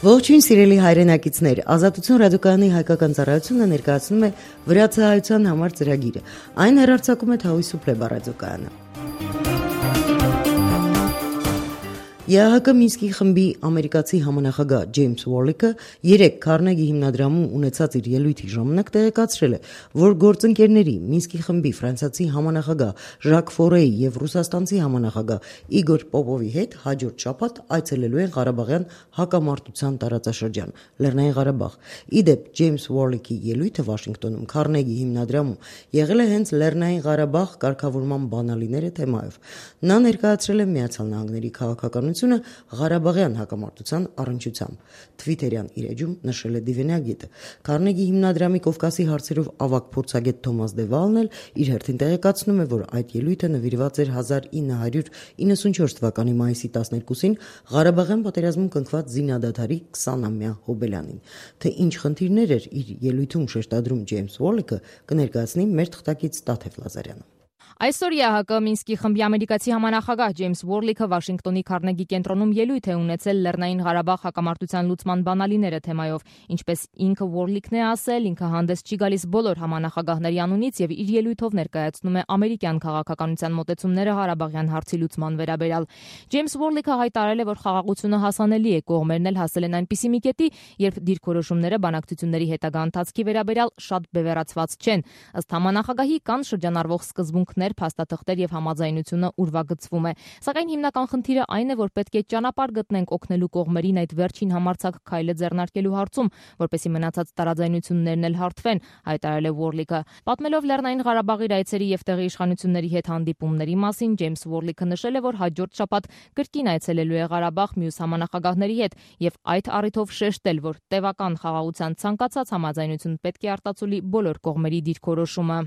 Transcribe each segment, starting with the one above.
Ողջույն սիրելի հայրենակիցներ, Ազատություն ռադիոկայանի հայկական ծառայությունը ներկայացնում է վրացահայության համար ծրագիրը։ Այն հեռարձակում է Թավի Սուպլեբա ռադիոկայանը։ ԵԱՀԿ Մինսկի խմբի ամերիկացի համանախագահ Ջեյմս Ուորլիկը երեկ Քարնեգի հիմնադրամում ունեցած իր ելույթի ժամանակ տեղեկացրել է, որ գործընկերների Մինսկի խմբի ֆրանսիացի համանախագահ Ժակ Ֆորեի եւ ռուսաստանցի համանախագահ Իգոր Պոպովի հետ հաջորդ շաբաթ այցելելու են Ղարաբաղյան հակամարտության տարածաշրջան Լեռնային Ղարաբաղ։ Իդեպ Ջեյմս Ուորլիկի ելույթը Վաշինգտոնում Քարնեգի հիմնադրամում եղել է հենց Լեռնային Ղարաբաղ կարգավորման բանալիները թեմայով։ Նա ներկայացրել է Միացյալ Նահանգների քաղաքականությունը Ղարաբաղյան հակամարտության առնչությամբ։ Թվիտերյան իր էջում նշել է դիվանագետը։ Քարնեգի հիմնադրամի Կովկասի հարցերով ավագ փորձագետ Թոմաս Դևալն էլ իր հերթին տեղեկացնում է, որ այդ ելույթը նվիրված էր 1994 թվականի մայիսի 12-ին Ղարաբաղյան պատերազմում կնքված զինադադարի 20-ամյա հոբելյանին։ Թե ինչ խնդիրներ էր իր ելույթում շեշտադրում Ջեյմս Ուորլիկը, կներկայացնի մեր թղթակից Տաթև Լազարյանը։ Այսօր ԵԱՀԿ Մինսկի խմբի ամերիկացի համանախագահ Ջեյմս Ուորլիկը Վաշինգտոնի Քարնեգի կենտրոնում ելույթ է ունեցել Լեռնային Ղարաբաղ հակամարտության լուծման բանալիները թեմայով։ Ինչպես ինքը Ուորլիկն է ասել, ինքը հանդես չի գալիս բոլոր համանախագահների անունից եւ իր ելույթով ներկայացնում է ամերիկյան քաղաքականության մոտեցումները Ղարաբաղյան հարցի լուծման վերաբերյալ։ Ջեյմս Ուորլիկը հայտարարել է, որ խաղաղությունը հասանելի է, կողմերն էլ հասել են այնպիսի մի կետի, երբ դիրքորոշումները բանակցությունների հետագա ընթացքի վերաբերյալ շատ բևեռացված չեն։ Ըստ համանախագահի կան շրջանառվող սկզբունքներ, փաստաթղթեր եւ համաձայնությունը ուրվագծվում է։ Սակայն հիմնական խնդիրը այն է, որ պետք է ճանապարհ գտնենք օգնելու կողմերին այդ վերջին համարձակ քայլը ձեռնարկելու հարցում, որպեսզի մնացած տարաձայնություններն էլ հարթվեն, հայտարարել է Ուորլիկը։ Պատմելով Լեռնային Ղարաբաղի այցերի եւ տեղի իշխանությունների հետ հանդիպումների մասին, Ջեյմս Ուորլիկը նշել է, որ հաջորդ շաբաթ կրկին այցելելու է Ղարաբաղ մյուս համանախագահների հետ եւ այդ առիթով շեշտել, որ տևական խաղաղության ցանկացած համաձայնություն պետք է արտացոլի բոլոր կողմերի դիրքորոշումը։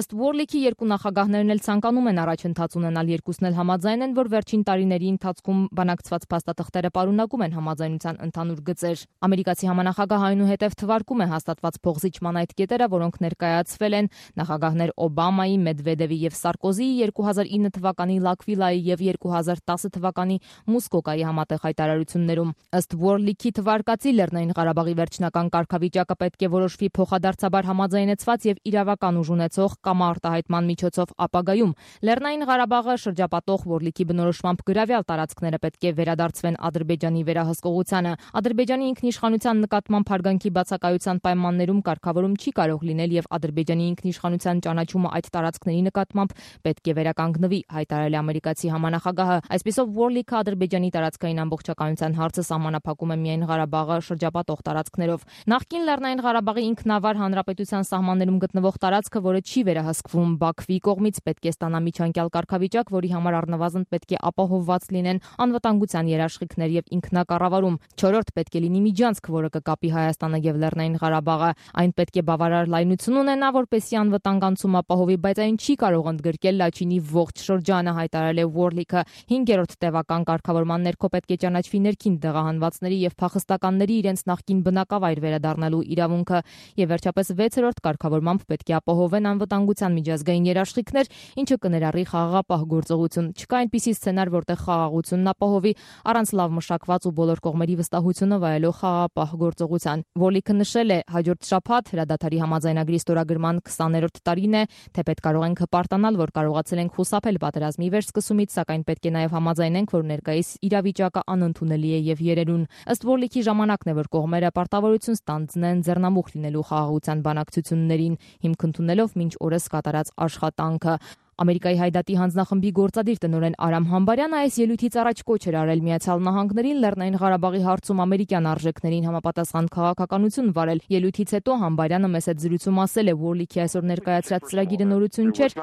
Ըստ Ուորլիկի երկու նախագահներն էլ ցանկանում են առաջընթաց ունենալ, երկուսն էլ համաձայն են, որ վերջին տարիների ընթացքում բանակցված փաստաթղթերը պարունակում են համաձայնության ընդհանուր գծեր։ Ամերիկացի համանախագահը այնուհետև թվարկում է հաստատված փոխզիջման այդ կետերը, որոնք ներկայացվել են նախագահներ Օբամայի, Մեդվեդևի եւ Սարկոզիի 2009 թվականի Լակվիլայի եւ 2010 թվականի Մուսկոկայի համատեղ հայտարարություններում։ Ըստ Ուորլիկի թվարկածի Լեռնային Ղարաբաղի վերջնական կարգավիճակը պետք է որոշվի փոխադարձաբար համաձայնեցված եւ իրավական ուժ ունեցող կամ արտահայտման միջոցով ապագայում։ Լեռնային Ղարաբաղը շրջապատող Ուորլիկի բնորոշմամբ գրավյալ տարածքները պետք է վերադարձվեն Ադրբեջանի վերահսկողությանը։ Ադրբեջանի ինքնիշխանության նկատմամբ հարգանքի բացակայության պայմաններում կարգավորում չի կարող լինել եւ Ադրբեջանի ինքնիշխանության ճանաչումը այդ տարածքների նկատմամբ պետք է վերականգնվի, հայտարարել է ամերիկացի համանախագահը։ Այսպիսով Ուորլիկը Ադրբեջանի տարածքային ամբողջականության հարցը սահմանափակում է միայն Ղարաբաղը շրջապատող տարածքներով։ Նախկին Լեռնային Ղարաբաղի ինքնավար հանրապետության սահմաններում գտնվող տարածքը, որը չի վերահսկվում Բաքվի կողմից, պետք է ստանա միջանկյալ կարգավիճակ, որի համար առնվազն պետք է ապահովված լինեն անվտանգության երաշխիքներ եւ ինքնակառավարում։ 4-րդ պետք է լինի միջանցք, որը կկապի Հայաստանը եւ Լեռնային Ղարաբաղը։ Այն պետք է բավարար լայնություն ունենա, որպեսզի անվտանգ անցում ապահովի, բայց այն չի կարող ընդգրկել Լաչինի ողջ շրջանը, հայտարարել է Ուորլիկը։ 5-րդ տևական կարգավորման ներքո պետք է ճանաչվի ներքին դեղահանվածների եւ փախստականների իրենց նախկին բնակավայր վերադառնալու իրավունքը։ Եվ վերջապես 6-րդ կարգավորմամբ պետք է ապահովեն անվտանգության միջազգային երաշխիքներ, ինչը կներառի խաղաղապահ գործողություն։ Չկա այնպիսի սցենար, որտեղ խաղաղությունն ապահովի առանց լավ մշակված ու բոլոր կողմերի վստահությունը վայելող խաղաղապահ գործողության։ Ուորլիկը նշել է, հաջորդ շաբաթ հրադադարի համաձայնագրի ստորագրման 20-րդ տարին է, թեպետ կարող ենք հպարտանալ, որ կարողացել ենք խուսափել պատերազմի վերսկսումից, սակայն պետք է նաև համաձայնենք, որ ներկայիս իրավիճակը անընդունելի է եւ երերուն։ Ըստ Ուորլիկի ժամանակն է, որ կողմերը պարտավորություն ստանձնեն ձեռնամուխ լինելու խաղաղության բանակցություններին, հիմք ընդունելով մինչ օրս կատարած աշխատանքը։ Ամերիկայի Հայդատի հանձնախմբի գործադիր տնօրեն Արամ Համբարյանը այս ելույթից առաջ կոչ էր արել Միացյալ Նահանգներին Լեռնային Ղարաբաղի հարցում ամերիկյան արժեքներին համապատասխան քաղաքականություն վարել։ Ելույթից հետո Համբարյանը մեծ զրույցում ասել է, Ուորլիկի այսօր ներկայացրած ծրագիրը նորություն չէր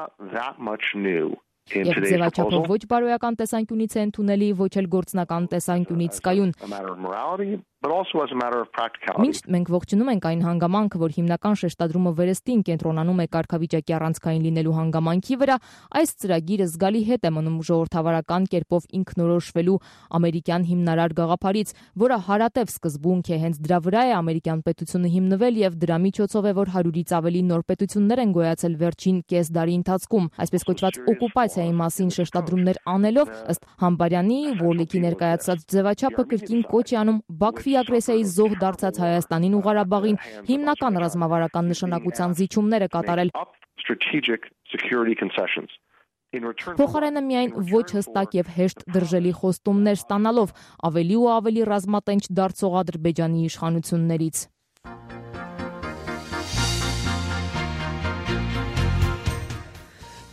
եւ ձևաչափով ոչ բարոյական տեսանկյունից է ընդունելի, ոչ էլ գործնական տեսանկյունից կայուն։ Մինչ մենք ողջունում ենք այն հանգամանքը, որ հիմնական շեշտադրումը վերստին կենտրոնանում է կարգավիճակի առանցքային լինելու հանգամանքի վրա, այս ծրագիրը զգալի հետ է մնում ժողովրդավարական կերպով ինքնորոշվելու ամերիկյան հիմնարար գաղափարից, որը հարատև սկզբունք է, հենց դրա վրա է ամերիկյան պետությունը հիմնվել եւ դրա միջոցով է, որ 100-ից ավելի նոր պետություններ են գոյացել վերջին կես դարի ընթացքում։ Այսպես կոչված օկուպացիայի մասին շեշտադրումներ անելով, ըստ Համբարյանի, Ուորլիկի ներկայացրած ձևաչափը կրկին կոչ է անում Բաքվի Ռուսի ագրեսիայի զոհ դարձած Հայաստանին ու Ղարաբաղին հիմնական ռազմավարական նշանակության զիջումներ է կատարել։ Փոխարենը միայն ոչ հստակ եւ հեշտ դրժելի խոստումներ ստանալով ավելի ու ավելի ռազմատենչ դարձող Ադրբեջանի իշխանություններից։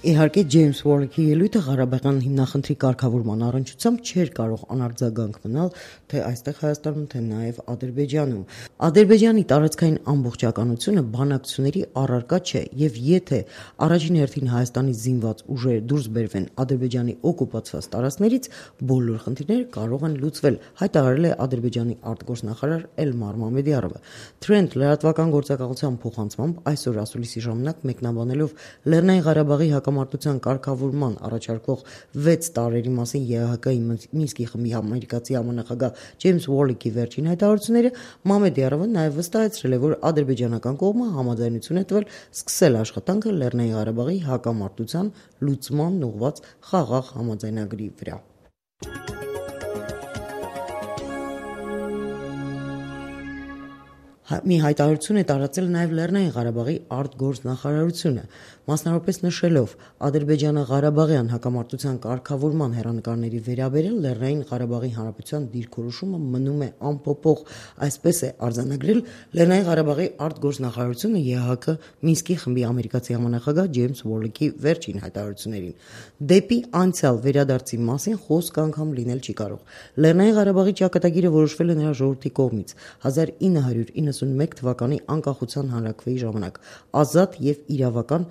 Իհարկե Ջեյմս Ուորլիքի ելույթը Ղարաբաղյան հիմնախնդրի կարգավորման առնչությամբ չէր կարող անարձագանք մնալ թե այստեղ Հայաստանում, թե նաև Ադրբեջանում։ Ադրբեջանի տարածքային ամբողջականությունը բանակցությունների առարկա չէ, եւ եթե առաջին հերթին Հայաստանի զինված ուժերը դուրս բերվեն Ադրբեջանի օկուպացված տարածքներից, բոլոր խնդիրները կարող են լուծվել, հայտարարել է Ադրբեջանի արտգործնախարար Էլմար Մամեդյարովը։ Trend լրատվական գործակալության փոխանցմամբ այսօր ասուլիսի ժամանակ մեկնաբանելով Լեռնային Ղարաբաղի հակամարտության կարգավորման առաջարկվող 6 տարերի մասին ԵԱՀԿ-ի Մինսկի խմբի ամերիկացի համանախագահ Ջեյմս Ուորլիքի վերջին հայտարարությունները, Մամեդյարովը նաև վստահեցրել է, որ ադրբեջանական կողմը համաձայնություն է տվել սկսել աշխատանքը Լեռնային Ղարաբաղի հակամարտության լուծման ուղղված խաղաղ համաձայնագրի վրա։ Մի հայտարարություն է տարածել նաև Լեռնային Ղարաբաղի արտգործնախարարությունը, մասնավորապես նշելով Ադրբեջանը Ղարաբաղյան հակամարտության կարգավորման հեռանկարների վերաբերել Լեռնային Ղարաբաղի Հանրապետության դիրքորոշումը մնում է անփոփոխ, այսպես է արձանագրել Լեռնային Ղարաբաղի արտգործնախարարությունը ԵԱՀԿ Մինսկի խմբի ամերիկացի համանախագահ Ջեյմս Ուորլիքի վերջին հայտարարություններին։ Դեպի անցյալ վերադարձի մասին խոսք անգամ լինել չի կարող։ Լեռնային Ղարաբաղի ճակատագիրը որոշվել է նրա ժողովրդի կողմից 1991 թվականի անկախության հանրաքվեի ժամանակ ազատ եւ իրավական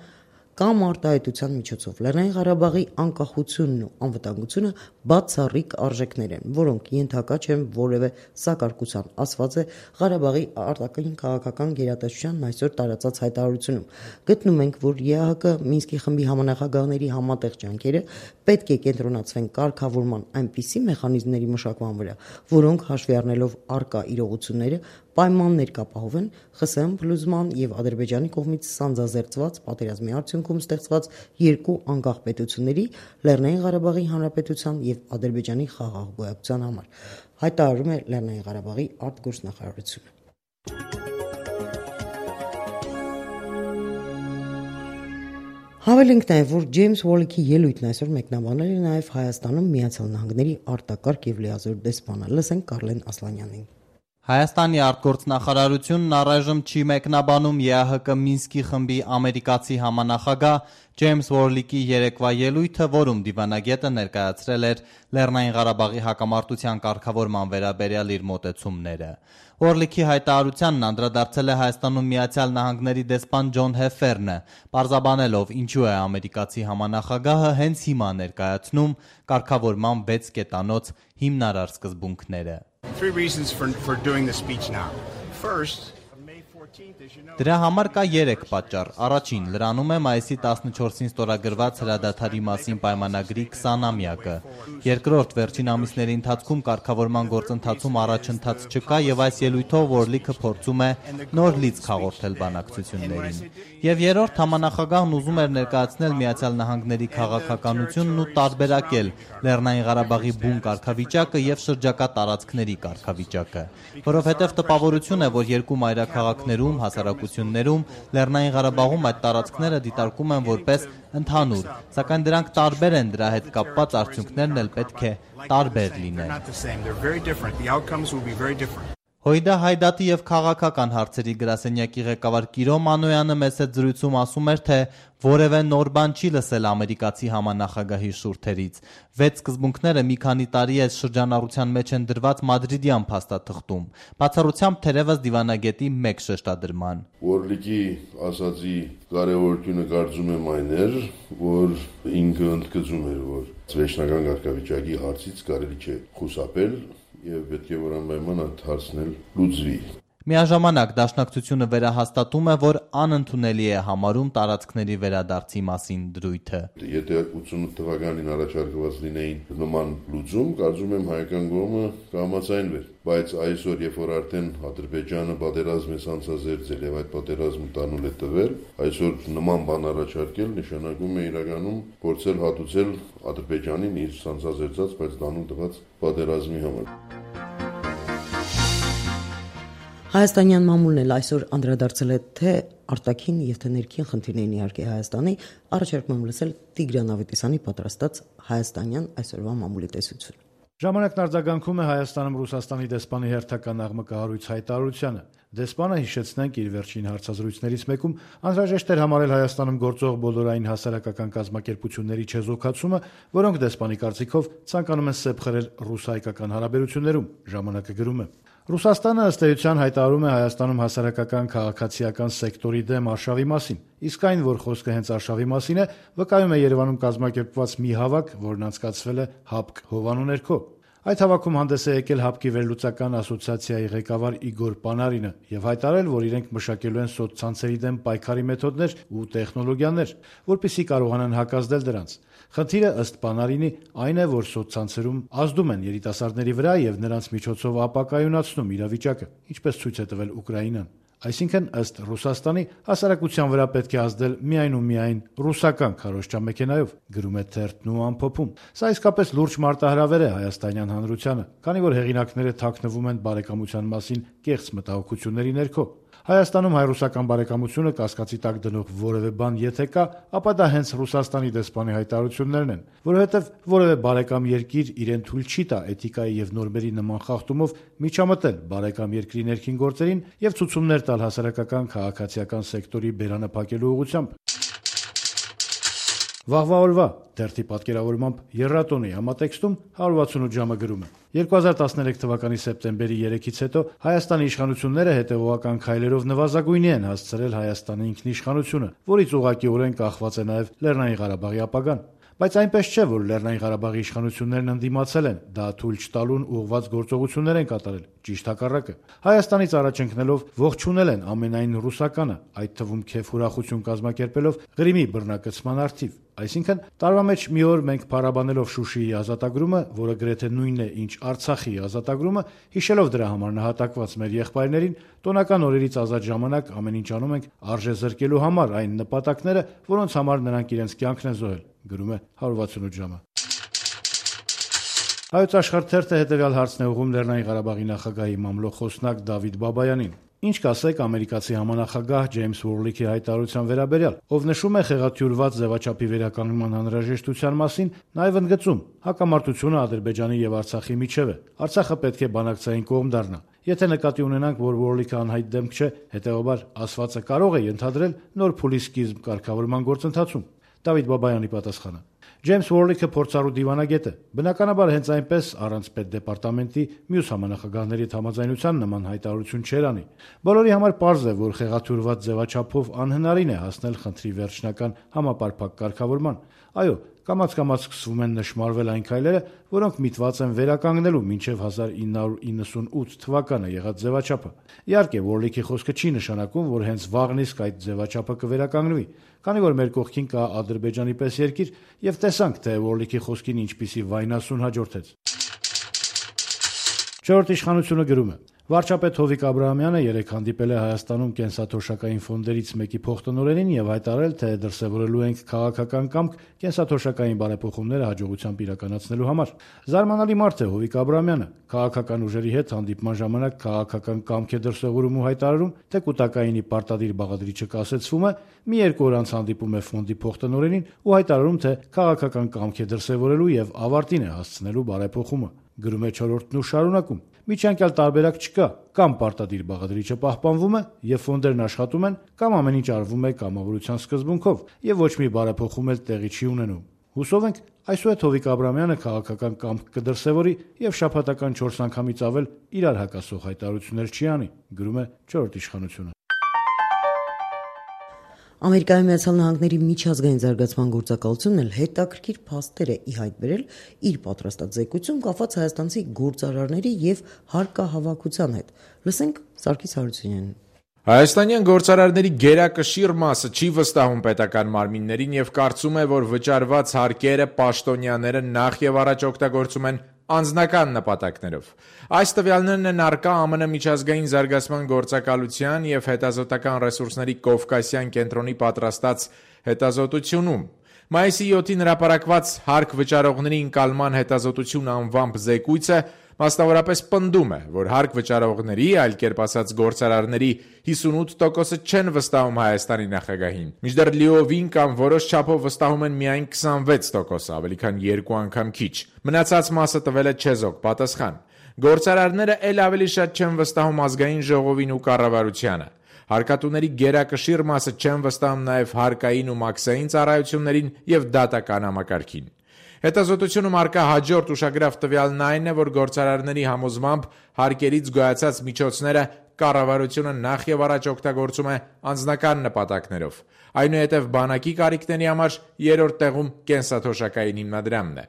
կամ արտահայտության միջոցով Լեռնային Ղարաբաղի անկախությունն ու անվտանգությունը բացառիկ արժեքներ են, որոնք ենթակա չեն որևէ սակարկության, ասված է Ղարաբաղի արտաքին քաղաքական գերատեսչությանն այսօր տարածած հայտարարությունում։ Գտնում ենք, որ ԵԱՀԿ Մինսկի խմբի համանախագահների համատեղ ջանքերը պետք է կենտրոնացվեն կարգավորման այնպիսի մեխանիզմների մշակման վրա, որոնք հաշվի առնելով առկա իրողությունները պայմաններ կապահովեն ԽՍՀՄ փլուզման եւ Ադրբեջանի կողմից սանձազերծված պատերազմի արդյունքում ստեղծված երկու անկախ պետությունների Լեռնային Ղարաբաղի Հանրապետության եւ Ադրբեջանի խաղաղ գոյակցության համար, հայտարարում է Լեռնային Ղարաբաղի արտգործնախարարությունը։ Հավելենք նաև, որ Ջեյմս Ուորլիքի ելույթն այսօր մեկնաբանել է նաև Հայաստանում Միացյալ Նահանգների արտակարգ եւ լիազոր դեսպանը։ Լսենք Կարլեն Ասլանյանին։ Հայաստանի արտգործնախարարությունն առայժմ չի մեկնաբանում ԵԱՀԿ Մինսկի խմբի ամերիկացի համանախագահ Ջեյմս Ուորլիքի երեկվա ելույթը, որում դիվանագետը ներկայացրել էր Լեռնային Ղարաբաղի հակամարտության կարգավորման վերաբերյալ իր մոտեցումները։ Ուորլիքի հայտարարությանն անդրադարձել է Հայաստանում Միացյալ Նահանգների դեսպան Ջոն Հեֆերնը, պարզաբանելով ինչու է ամերիկացի համանախագահը հենց հիմա ներկայացնում կարգավորման 6 կետանոց հիմնարար սկզբունքները։ Դրա համար կա 3 պատճառ։ Առաջին, լրանում է մայիսի 14-ին ստորագրված հրադադարի մասին պայմանագրի 20-ամյակը։ Երկրորդ, վերջին ամիսների ընթացքում կարգավորման գործընթացում առաջընթաց չկա եւ այս ելույթով Ուորլիքը փորձում է նոր լիցք հաղորդել բանակցություններին։ Եվ երրորդ, համանախագահն ուզում էր ներկայացնել Միացյալ Նահանգների քաղաքականությունն ու տարբերակել Լեռնային Ղարաբաղի բուն կարգավիճակը եւ շրջակա տարածքների կարգավիճակը, որովհետեւ տպավորություն է, որ երկու մայրաքաղաքներում, հասարակություններում, Լեռնային Ղարաբաղում այդ տարածքները դիտարկում են որպես ընդհանուր, սակայն դրանք տարբեր են, դրա հետ կապված արդյունքներն էլ պետք է տարբեր լինեն։ Հույդա Հայդատի եւ քաղաքական հարցերի գրասենյակի ղեկավար Կիրո Մանոյանը մեծ զրույցում ասում էր, թե որևէ նոր բան չի լսել ամերիկացի համանախագահի շուրթերից։ 6 սկզբունքները մի քանի տարի է շրջանառության մեջ են դրված մադրիդյան փաստաթղթում, բացառությամբ թերևս դիվանագետի մեկ շեշտադրման։ Ուորլիքի ասացի կարևորությունը կարծում եմ այն էր, որ ինքը ընդգծում էր, որ վերջնական կարգավիճակի հարցից կարելի չէ խուսափել եւ պետք է որ անպայման այդ հարցն էլ լուծվի։ Միաժամանակ դաշնակցությունը վերահաստատում է, որ անընդունելի է համարում տարածքների վերադարձի մասին դրույթը։ Եթե 88 թվականին առաջարկված լինեին նման լուծում, կարծում եմ հայկական կողմը կհամաձայնվեր, բայց այսօր, երբ որ արդեն Ադրբեջանը պատերազմ է սանձազերծել եւ այդ պատերազմը տանուլ է տվել, այսօր նման բան առաջարկել նշանակում է իրականում փորձել հատուցել Ադրբեջանին իր սանձազերծած, բայց տանուլ տված պատերազմի համար։ Հայաստանյան մամուլն էլ այսօր անդրադարձել է թե արտաքին եւ թե ներքին խնդիրներին իհարկե Հայաստանի, առաջարկում եմ լսել Տիգրան Ավետիսյանի պատրաստած հայաստանյան այսօրվա մամուլի տեսությունը։ Ժամանակն արձագանքում է Հայաստանում Ռուսաստանի դեսպանի հերթական աղմկահարույց հայտարարությանը։ Դեսպանը, հիշեցնենք, իր վերջին հարցազրույցներից մեկում անհրաժեշտ էր համարել Հայաստանում գործող բոլորային հասարակական կազմակերպությունների չեզոքացումը, որոնք դեսպանի կարծիքով ցանկանում են սեպ խրել ռուս-հայկական հարաբերություններում։ Ժամանակը գրում է. Ռուսաստանը ըստ էության հայտարարում է Հայաստանում հասարակական քաղաքացիական սեկտորի դեմ արշավի մասին, իսկ այն, որ խոսքը հենց արշավի մասին է, վկայում է Երևանում կազմակերպված մի հավաք, որն անցկացվել է ՀԱՊԿ հովանու ներքո։ Այդ հավաքում հանդես է եկել ՀԱՊԿ-ի վերլուծական ասոցիացիայի ղեկավար Իգոր Պանարինը եւ հայտարարել, որ իրենք մշակելու են սոցցանցերի դեմ պայքարի մեթոդներ ու տեխնոլոգիաներ, որպեսզի կարողանան հակազդել դրանց։ Խնդիրը ըստ Պանարինի այն է, որ սոցցանցերում ազդում են երիտասարդների վրա եւ նրանց միջոցով ապակայունացնում իրավիճակը, ինչպես ցույց է տվել Ուկրաինան։ Այսինքն, ըստ Ռուսաստանի, հասարակության վրա պետք է ազդել միայն ու միայն ռուսական քարոզչամեքենայով, գրում է թերթն ու ամփոփում։ Սա իսկապես լուրջ մարտահրավեր է հայաստանյան հանրությանը, քանի որ հեղինակները թաքնվում են բարեկամության մասին կեղծ մտահոգությունների ներքո։ Հայաստանում հայ-ռուսական բարեկամությունը կասկածի տակ դնող որևէ բան եթե կա, ապա դա հենց Ռուսաստանի դեսպանի հայտարարություններն են, որովհետև որևէ բարեկամ երկիր իրեն թույլ չի տա էթիկայի եւ նորմերի նման խախտումով միջամտել բարեկամ երկրի ներքին գործերին եւ ցուցումներ տալ հասարակական քաղաքացիական սեկտորի բերանը փակելու ուղղությամբ։ Վաղվա օրվա դերթի պատկերավորմամբ Եռատոնի համատեքստում 168 ժամը գրում է. 2013 թվականի սեպտեմբերի 3-ից հետո Հայաստանի իշխանությունները հետևողական քայլերով նվազագույնի են հասցրել Հայաստանի ինքնիշխանությունը, որից ուղղակիորեն կախված է նաև Լեռնային Ղարաբաղի ապագան։ Բայց այնպես չէ, որ Լեռնային Ղարաբաղի իշխանություններն ընդդիմացել են, դա թույլ չտալուն ուղղված գործողություններ են կատարել, ճիշտ հակառակը։ Հայաստանից առաջ ընկնելով ողջունել են ամենայն ռուսականը, այդ թվում քեֆ ուրախություն կազմակերպելով Ղրիմի բռնակցման առթիվ։ Այսինքն, տարվա մեջ մի օր մենք փառաբանելով Շուշիի ազատագրումը, որը գրեթե նույնն է, ինչ Արցախի ազատագրումը, հիշելով դրա համար նահատակված մեր եղբայրներին, տոնական օրերից ազատ ժամանակ ամեն ինչ անում ենք արժե զրկելու համար այն նպատակները, որոնց համար նրանք իրենց կյանքն են զոհել, գրում է 168 ժամը։ Հայոց աշխարհ թերթը հետևյալ հարցն է ուղղում Լեռնային Ղարաբաղի նախագահի մամլոխոսնակ Դավիթ Բաբայանին։ Ինչ կասեք ամերիկացի համանախագահ Ջեյմս Ուորլիքի հայտարարության վերաբերյալ, ով նշում է խեղաթյուրված ձևաչափի վերականգնման անհրաժեշտության մասին, նաև ընդգծում հակամարտությունը Ադրբեջանի եւ Արցախի միջև է։ Արցախը պետք է բանակցային կողմ դառնա։ Եթե նկատի ունենանք, որ Ուորլիքը անհայտ դեմք չէ, հետեւաբար ասվածը կարող է ենթադրել նոր փուլի սկիզբ կարգավորման գործընթացում։ Դավիթ Բաբայանի պատասխանը. Ջեյմս Ուորլիքը փորձառու դիվանագետ է։ Բնականաբար հենց այնպես առանց պետդեպարտամենտի մյուս համանախագահների համաձայնության նման հայտարարություն չեր անի։ Բոլորի համար պարզ է, որ խեղաթյուրված ձևաչափով անհնարին է հասնել խնդրի վերջնական համապարփակ կարգավորման։ Այո, կամաց-կամաց սկսվում են նշմարվել այն քայլերը, որոնք միտված են վերականգնելու մինչև 1998 թվականը եղած ձևաչափը։ Իհարկե, Ուորլիքի խոսքը չի նշանակում, որ հենց վաղն իսկ այդ ձևաչափը կվերականգնվի, քանի որ մեր կողքին կա Ադրբեջանի պես երկիր, եւ տեսանք, թե Ուորլիքի խոսքին ինչպիսի վայնասուն հաջորդեց։ Չորրորդ իշխանությունը գրում է. Վարչապետ Հովիկ Աբրահամյանը երեկ հանդիպել է Հայաստանում կենսաթոշակային ֆոնդերից մեկի փոխտնօրենին եւ հայտարարել, թե դրսեւորելու ենք քաղաքական կամք կենսաթոշակային բարեփոխումները հաջողությամբ իրականացնելու համար։ Զարմանալի մարդ է Հովիկ Աբրահամյանը։ Քաղաքական ուժերի հետ հանդիպման ժամանակ քաղաքական կամք է դրսեւորում ու հայտարարում, թե կուտակայինի պարտադիր բաղադրիչը կասեցվում է, մի երկու օր անց հանդիպում է ֆոնդի փոխտնօրենին ու հայտարարում, թե քաղաքական կամք է դրսեւորելու եւ ավարտին է հասցնելու բարեփոխումը։ Գրում է չորրորդն ու շարունակում. Միջանկյալ տարբերակ չկա, կամ պարտադիր բաղադրիչը պահպանվում է եւ ֆոնդերն աշխատում են, կամ ամեն ինչ արվում է կամավորության սկզբունքով եւ ոչ մի բարեփոխում էլ տեղի չի ունենում։ Հուսով ենք, այսուհետ Հովիկ Աբրահամյանը քաղաքական կամք կդրսևորի եւ շաբաթական 4 անգամից ավել իրար հակասող հայտարարություններ չի անի, գրում է չորրորդ իշխանությունը։ Ամերիկայի Միացյալ Նահանգների միջազգային զարգացման գործակալությունն էլ հետաքրքիր փաստեր է ի հայտ բերել իր պատրաստած զեկույցում կապված հայաստանցի գործարարների եւ հարկահավաքության հետ։ Լսենք Սարգիս Հարությունյանին։ Հայաստանյան գործարարների գերակշիռ մասը չի վստահում պետական մարմիններին եւ կարծում է, որ վճարված հարկերը պաշտոնյաները նախ եւ առաջ օգտագործում են անձնական նպատակներով։ Այս տվյալներն են առկա ԱՄՆ միջազգային զարգացման գործակալության եւ հետազոտական ռեսուրսների Կովկասյան կենտրոնի պատրաստած հետազոտությունում։ Մայիսի 7-ին հրապարակված հարկ վճարողների ընկալման հետազոտություն անվամբ զեկույցը Մասնավորապես պնդում է, որ հարկ վճարողների, այլ կերպ ասած գործարարների 58%-ը չեն վստահում Հայաստանի նախագահին, մինչդեռ լիովին կամ որոշ չափով վստահում են միայն 26%, ավելի քան 2 անգամ քիչ։ Մնացած մասը տվել է չեզոք պատասխան։ Գործարարները ել ավելի շատ չեն վստահում ազգային ժողովին ու կառավարությանը։ Հարկատուների գերակշիռ մասը չեն վստահում նաև հարկային ու մաքսային ծառայություններին եւ դատական համակարգին։ Հետազոտությունում առկա հաջորդ ուշագրավ տվյալն այն է, որ գործարարների համոզմամբ հարկերից գոյացած միջոցները կառավարությունը նախ եւ առաջ օգտագործում է անձնական նպատակներով։ Այնուհետև բանակի կարիքների համար երրորդ տեղում կենսաթոշակային հիմնադրամն է։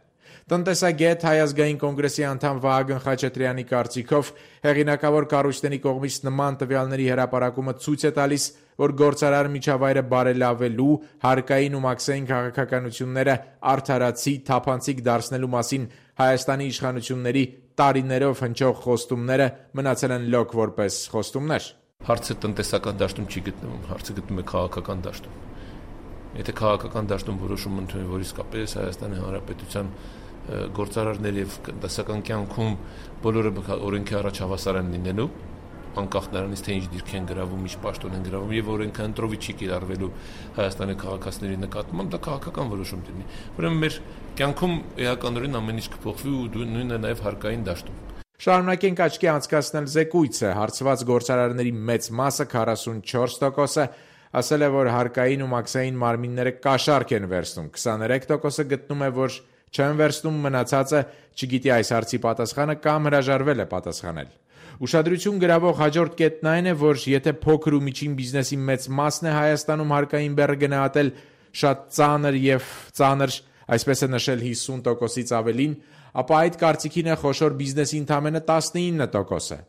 Տնտեսագետ Հայ ազգային կոնգրեսի անդամ Վահագն Խաչատրյանի կարծիքով հեղինակավոր կառույցների կողմից նման տվյալների հրապարակումը ցույց է տալիս, որ գործարար միջավայրը բարելավելու, հարկային ու մաքսային քաղաքականությունները արդարացի, թափանցիկ դարձնելու մասին Հայաստանի իշխանությունների տարիներով հնչող խոստումները մնացել են լոկ որպես խոստումներ։ Հարցը տնտեսական դաշտում չի գտնվում, հարցը գտնվում է քաղաքական դաշտում։ Եթե քաղաքական դաշտում որոշում ընդունի, որ իսկապես Հայաստանի Հանրապետության գործարարներ եւ տնտեսական կյանքում բոլորը օրենքի առաջ հավասար են լինելու, անկախ նրանից թե ինչ դիրք են գրավում, ինչ պաշտոն են գրավում եւ օրենքը ընտրովի չի կիրառվելու Հայաստանի քաղաքացիների նկատմամբ, դա քաղաքական որոշում դառնի։ Ուրեմն մեր կյանքում էականորեն ամեն ինչ կփոխվի ու նույնը նաեւ հարկային դաշտում։ Շարունակենք աչքի անցկացնել զեկույցը, հարցված գործարարների մեծ մասը 44%-ը ասել է, որ հարկային ու մաքսային մարմինները կաշառք են վերցնում, 23%-ը գտնում է, որ չեն վերցնում, մնացածը չգիտի այս հարցի պատասխանը կամ հրաժարվել է պատասխանել։ Ուշադրություն գրավող հաջորդ կետն այն է, որ եթե փոքր ու միջին բիզնեսի մեծ մասն է Հայաստանում հարկային բեռը գնահատել շատ ծանր, այսպես է նշել 50%-ից ավելին, ապա այդ կարծիքին է խոշոր բիզնեսի ընդամենը 19%-ը։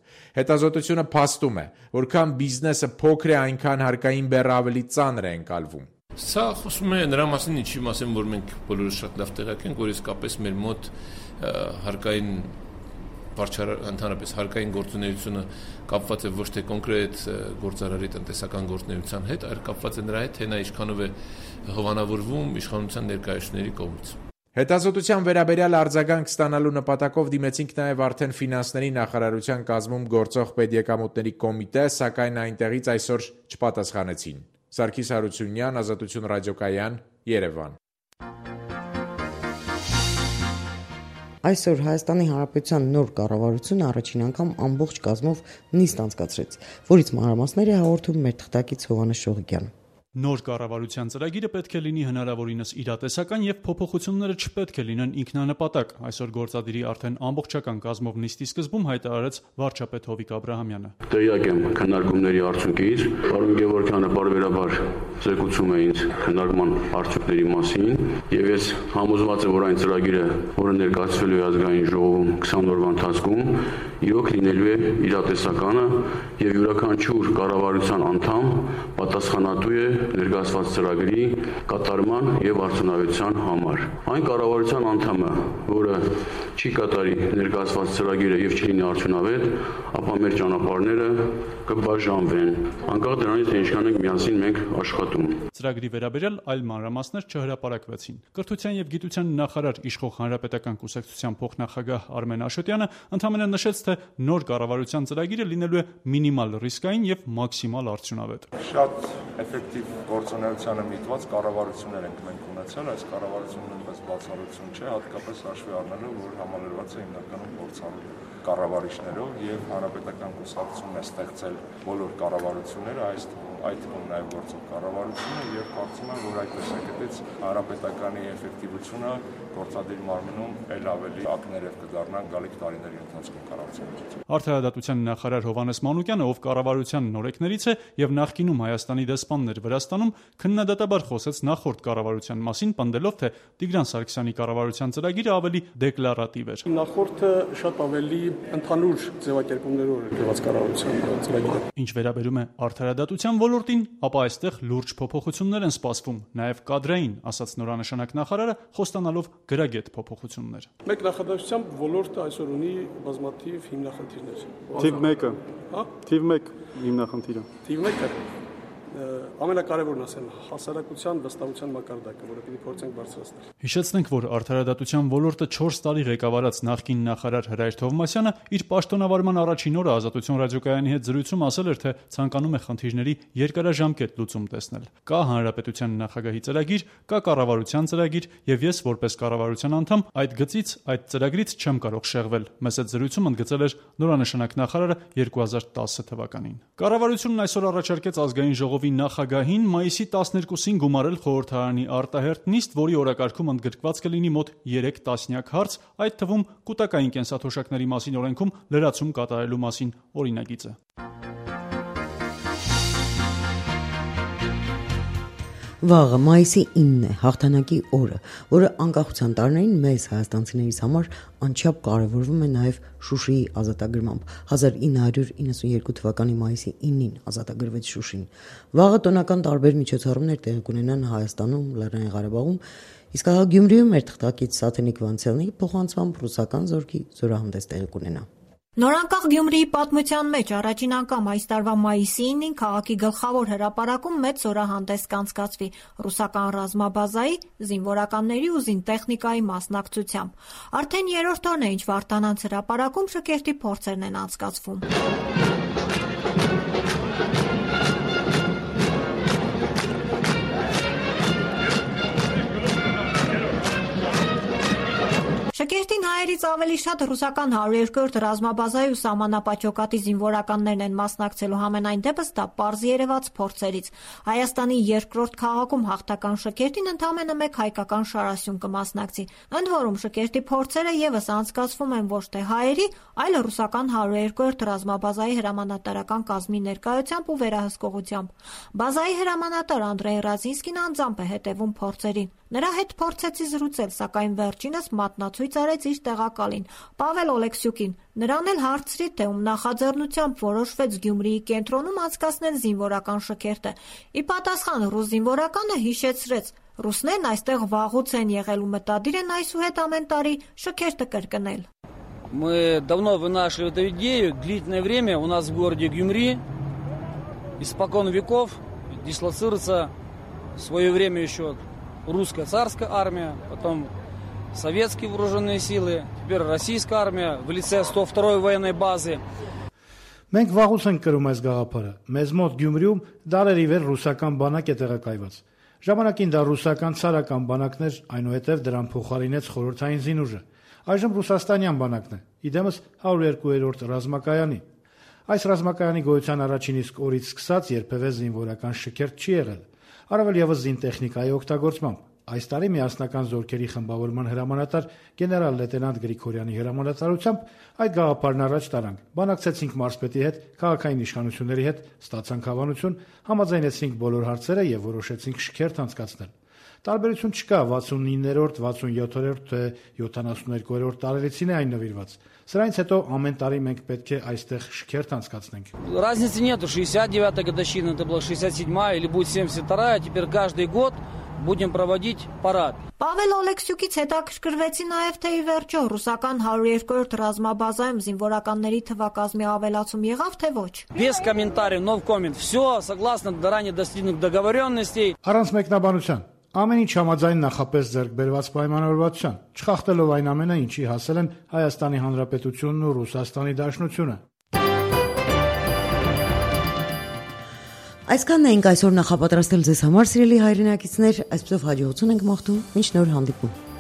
Հետազոտությունը փաստում է, որքան բիզնեսը փոքր է, այնքան հարկային բեռը ավելի ծանր է ընկալվում։ Սա խոսում է նրա մասին, ինչի մասին, որ մենք բոլորս շատ լավ տեղյակ ենք, որ իսկապես մեր մոտ հարկային ընդհանրապես հարկային գործունեությունը կապված է ոչ թե կոնկրետ գործարարի տնտեսական գործունեության հետ, այլ կապված է նրա հետ, թե նա ինչքանով է հովանավորվում իշխանության ներկայացուցիչների կողմից։ Հետազոտության վերաբերյալ արձագանք ստանալու նպատակով դիմեցինք նաև արդեն ֆինանսների նախարարության կազմում գործող պետեկամուտների կոմիտե, սակայն այնտեղից այսօր չպատասխանեցին։ Սարգիս Հարությունյան, Ազատություն ռադիոկայան, Երևան։ Այսօր Հայաստանի Հանրապետության նոր կառավարությունը առաջին անգամ ամբողջ կազմով նիստ անցկացրեց, որից մանրամասներ է հաղորդում մեր թղթակից Հովհաննես Շողիկյանը։ Նոր կառավարության ծրագիրը պետք է լինի հնարավորինս իրատեսական եւ փոփոխությունները չպետք է լինեն ինքնանպատակ։ Այսօր գործադիրի արդեն ամբողջական կազմով նիստի սկզբում հայտարարեց վարչապետ Հովիկ Աբրահամյանը։ Տեղյակ եմ քննարկումների արդյունքից, պարոն Գևորգյանը բարբերաբար զեկուցում է ինձ քննարկման արդյունքների մասին, եւ ես համոզված եմ, որ այն ծրագիրը, որը ներկայացվելու է ազգային ժողովում 20 օրվա ընթացքում, իրոք լինելու է իրատեսականը եւ յուրաքանչյուր կառավարության անդամ պատասխանատու է ներկայացված ծրագրի կատարման եւ արդյունավետության համար։ Այն կառավարության անդամը, որը չի կատարի ներկայացված ծրագիրը եւ չլինի արդյունավետ, ապա մեր ճանապարհները կբաժանվեն։ Անկախ դրանից, թե ինչքան ենք միասին մենք աշխատում։ Ծրագրի վերաբերյալ այլ մանրամասներ չհրապարակվեցին։ Կրթության եւ գիտության նախարար իշխող Հանրապետական կուսակցության փոխնախագահ Արմեն Աշոտյանը ընդհանրապես նշեց, թե նոր կառավարության ծրագիրը լինելու է մինիմալ ռիսկային եւ մաքսիմալ արդյունավետ։ Շատ էֆեկտիվ գործունեությանը միտված կառավարություններ ենք մենք ունեցել, այս կառավարությունը նույնպես բացառություն չէ, հատկապես հաշվի առնելով, որ համալրված է հիմնականում փորձառու կառավարիչներով եւ հանրապետական կուսակցությունն է ստեղծել բոլոր կառավարությունները, այդ թվում նաեւ գործող կառավարությունը եւ կարծում եմ, որ այդ տեսակետից հանրապետականի էֆեկտիվությունը գործադիր մարմնում ել ավելի ակներև կդառնան գալիք տարիների ընթացքում կառավարության։ Արդարադատության նախարար Հովհաննես Մանուկյանը, ով կառավարության նորեկներից է եւ նախկինում Հայաստանի դեսպանն էր Վրաստանում, քննադատաբար խոսեց նախորդ կառավարության մասին, պնդելով, թե Տիգրան Սարգսյանի կառավարության ծրագիրը ավելի դեկլարատիվ էր։ Նախորդը շատ ավելի ընդհանուր ձևակերպումներով էր գրված կառավարության ծրագիրը։ Ինչ վերաբերում է արդարադատության ոլորտին, ապա այստեղ լուրջ փոփոխություններ են սպասվում, նաեւ կադրային, ասաց նորանշանակ նախարարը, խոստանալով գրագետ փոփոխություններ։ Մեկ նախադասությամբ ոլորտը այսօր ունի բազմաթիվ հիմնախնդիրներ։ Թիվ 1-ը։ Հա? Թիվ 1 հիմնախնդիրը։ Թիվ 1-ը։ ամենակարևորն ասեմ, հասարակության վստահության մակարդակը, որը պիտի փորձենք բարձրացնել։ Հիշեցնենք, որ արդարադատության ոլորտը 4 տարի ղեկավարած նախկին նախարար Հրայր Թովմասյանը իր պաշտոնավարման առաջին օրը Ազատություն ռադիոկայանի հետ զրույցում ասել էր, թե ցանկանում է խնդիրների երկարաժամկետ լուծում տեսնել։ Կա հանրապետության նախագահի ծրագիր, կա կառավարության ծրագիր, եւ ես որպես կառավարության անդամ այդ գծից, այդ ծրագրից չեմ կարող շեղվել։ Մեզ այդ զրույցում ընդգծել էր նորանշանակ նախարարը 2010 թվականին։ Կառավարությունն այսօր առաջարկեց ազգային ժողովի նախագահին մայիսի 12-ին գումարել խորհրդարանի արտահերթ նիստ, որի օրակարգում ընդգրկված կլինի մոտ 3 տասնյակ հարց, այդ թվում կուտակային կենսաթոշակների մասին օրենքում լրացում կատարելու մասին օրինագիծը։ Վաղը մայիսի 9-ն է հաղթանակի օրը, որը անկախության տարիներին մեզ հայաստանցիներից համար անչափ կարևորվում է նաև Շուշիի ազատագրմամբ։ 1992 թվականի մայիսի 9-ին ազատագրվեց Շուշին։ Վաղը տոնական տարբեր միջոցառումներ տեղի կունենան Հայաստանում, Լեռնային Ղարաբաղում, իսկ ահա Գյումրիում մեր թղթակից Սաթենիկ Վանցյալնի փոխանցմամբ ռուսական զորքի զորահանդես տեղի կունենա։ Նորանկախ Գյումրիի պատմության մեջ առաջին անգամ այս տարվա մայիսի 9-ին քաղաքի գլխավոր հրապարակում մեծ զորահանդես կանցկացվի ռուսական ռազմաբազայի, զինվորականների ու զինտեխնիկայի մասնակցությամբ։ Արդեն երրորդ օրն է, ինչ Վարդանանց հրապարակում շքերթի փորձերն են անցկացվում։ Շքերթին հայերից ավելի շատ ռուսական 102-րդ ռազմաբազայի ու սահմանապատյոկատի զինվորականներն են մասնակցելու, համենայն դեպս դա պարզ երևաց փորձերից։ Հայաստանի երկրորդ քաղաքում հաղթական շքերթին ընդամենը մեկ հայկական շարասյուն կմասնակցի։ Ընդ որում շքերթի փորձերը եւս անցկացվում են ոչ թե հայերի, այլ ռուսական 102-րդ ռազմաբազայի հրամանատարական կազմի ներկայությամբ ու վերահսկողությամբ։ Բազայի հրամանատար Անդրեյ Ռազինսկին անձամբ է հետևում փորձերին։ Նրա հետ փորձեցի զրուցել, սակայն վերջինս մատնացույց արեց իր տեղակալին, Պավել Օլեքսյուկին։ Նրան էլ հարցրի, թե ում նախաձեռնությամբ որոշվեց Գյումրիի կենտրոնում անցկացնել զինվորական շքերթը։ Ի պատասխան ռուս զինվորականը հիշեցրեց. ռուսներն այստեղ վաղուց են եղել ու մտադիր են այսուհետ ամեն տարի шքերթը կրկնել։ Мы давно вынашивали эту идею, длительное время у нас в городе Гюмри испокон веков дислоцируется в свое время еще русская царская армия, потом советские вооруженные силы, теперь российская армия в лице 102-й военной базы. Մենք վաղուց ենք կրում այս գաղափարը։ Մեզ մոտ Գյումրիում դարերի վեր ռուսական բանակ է տեղակայված։ Ժամանակին դա ռուսական ցարական բանակն էր, այնուհետև դրան փոխարինեց խորհրդային զինուժը։ Այժմ ռուսաստանյան բանակն է, իդեմս 102-րդ ռազմակայանի։ Այս ռազմակայանի գոյության առաջին իսկ օրից սկսած երբևէ զինվորական շքերթ չի եղել։ Առավել ևս զինտեխնիկայի օգտագործմամբ։ Այս տարի միասնական զորքերի խմբավորման հրամանատար գեներալ լեյտենանտ Գրիգորյանի հրամանատարությամբ այդ գաղափարն առաջ տարանք։ Բանակցեցինք մարզպետի հետ, քաղաքային իշխանությունների հետ, ստացանք հավանություն, համաձայնեցինք բոլոր հարցերը եւ որոշեցինք շքերթ անցկացնել։ Տարբերություն չկա 69-րդ, 67-րդ թե 72-րդ տարելիցին է այն նվիրված։ Սրանից հետո ամեն տարի մենք պետք է այստեղ շքերթ անցկացնենք։ Разницы нету, 69-я годовщина, это была 67-я или будет 72-я, теперь каждый год будем проводить парад. Պավել Օլեքսյուկից հետաքրքրվեցի նաև թե ի վերջո ռուսական 102-րդ ռազմաբազայում զինվորականների թվակազմի ավելացում եղավ թե ոչ։ Без комментариев, no comment. Все согласно ранее достигнутых договоренностей. Առանց մեկնաբանության ամեն ինչ համաձայն նախապես ձեռք բերված պայմանավորվածության, չխախտելով այն ամենը, ինչի հասել են Հայաստանի Հանրապետությունն ու Ռուսաստանի Դաշնությունը։ Այսքանն էինք այսօր նախապատրաստել ձեզ համար, սիրելի հայրենակիցներ, այսպեսով հաջողություն ենք մաղթում, մինչ նոր հանդիպում։